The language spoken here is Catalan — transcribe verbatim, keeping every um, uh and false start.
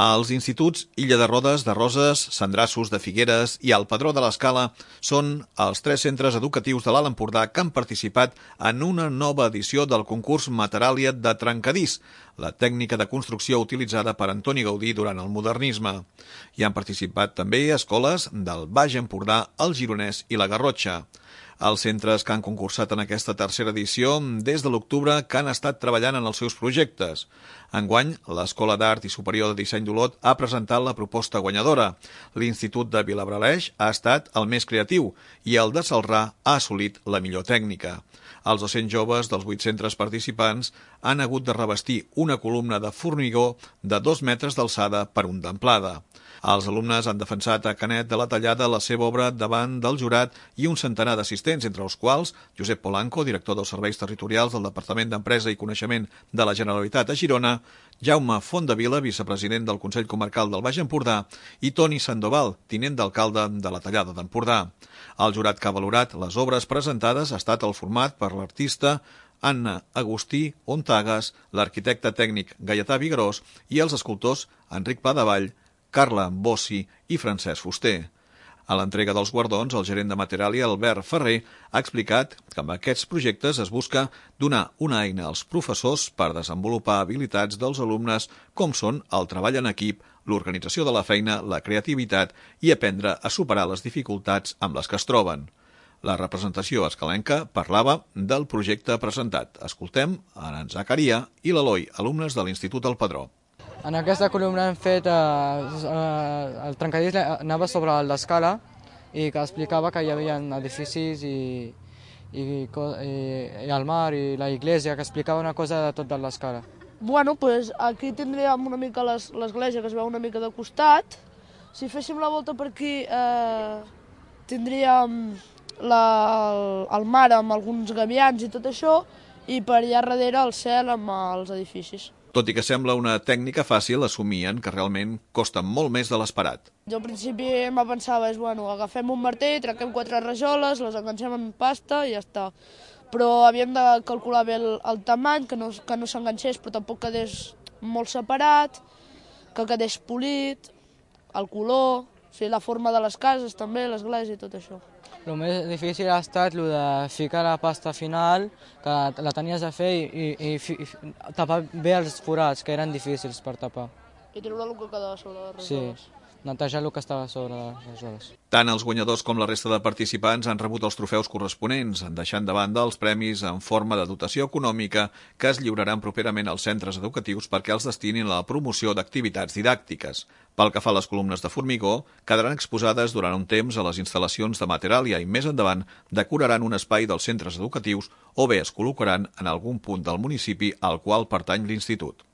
Els instituts Illa de Rodes, de Roses, Sandrassos, de Figueres i el Padró de l'Escala són els tres centres educatius de l'Alt Empordà que han participat en una nova edició del concurs Materàlia de trencadís, la tècnica de construcció utilitzada per Antoni Gaudí durant el modernisme. Hi han participat també escoles del Baix Empordà, el Gironès i la Garrotxa. Els centres que han concursat en aquesta tercera edició des de l'octubre que han estat treballant en els seus projectes. Enguany, l'Escola d'Art i Superior de Disseny d'Olot ha presentat la proposta guanyadora. L'Institut de Vilabraleix ha estat el més creatiu i el de Celrà ha assolit la millor tècnica. Els docents joves dels vuit centres participants han hagut de revestir una columna de formigó de dos metres d'alçada per un d'amplada. Els alumnes han defensat a Canet de la Tallada la seva obra davant del jurat i un centenar d'assistents, entre els quals Josep Polanco, director dels Serveis Territorials del Departament d'Empresa i Coneixement de la Generalitat a Girona, Jaume Fontdevila, vicepresident del Consell Comarcal del Baix Empordà, i Toni Sandoval, tinent d'alcalde de la Tallada d'Empordà. El jurat que ha valorat les obres presentades ha estat el format per l'artista Anna Agustí Ontagas, l'arquitecte tècnic Gaietà Vigarós i els escultors Enric Pladevall, Carla Bossi i Francesc Fuster. A l'entrega dels guardons, el gerent de Materàlia, Albert Ferrer, ha explicat que amb aquests projectes es busca donar una eina als professors per desenvolupar habilitats dels alumnes com són el treball en equip, l'organització de la feina, la creativitat i aprendre a superar les dificultats amb les que es troben. La representació escalenca parlava del projecte presentat. Escoltem en Zacaria i l'Eloi, alumnes de l'Institut del Padró. En aquesta columna hem fet, eh, eh, el trencadís anava sobre l'escala i que explicava que hi havia edificis i, i, i, i el mar i la iglesia, que explicava una cosa de tot de l'escala. Bueno, pues aquí tindríem una mica l'església que es veu una mica de costat. Si féssim la volta per aquí eh, tindríem la, el, el mar amb alguns gavians i tot això, i per allà darrere el cel amb els edificis. Tot i que sembla una tècnica fàcil, assumien que realment costa molt més de l'esperat. Jo al principi me pensava, és, bueno, agafem un martell, trenquem quatre rajoles, les enganxem en pasta i ja està. Però havíem de calcular bé el, el tamany, que no, que no s'enganxés però tampoc quedés molt separat, que quedés polit, el color, o sigui, la forma de les cases també, l'església i tot això. El més difícil ha estat el de ficar la pasta final, que la tenies a fer i, i, i tapar bé els forats, que eren difícils per tapar. I treure el que quedava sobre les rajoles. Sí, netejar el que estava sobre les rajoles. Tant els guanyadors com la resta de participants han rebut els trofeus corresponents, deixant de banda els premis en forma de dotació econòmica que es lliuraran properament als centres educatius perquè els destinin a la promoció d'activitats didàctiques. Pel que fa a les columnes de formigó, quedaran exposades durant un temps a les instal·lacions de Materàlia i més endavant decoraran un espai dels centres educatius o bé es col·locaran en algun punt del municipi al qual pertany l'institut.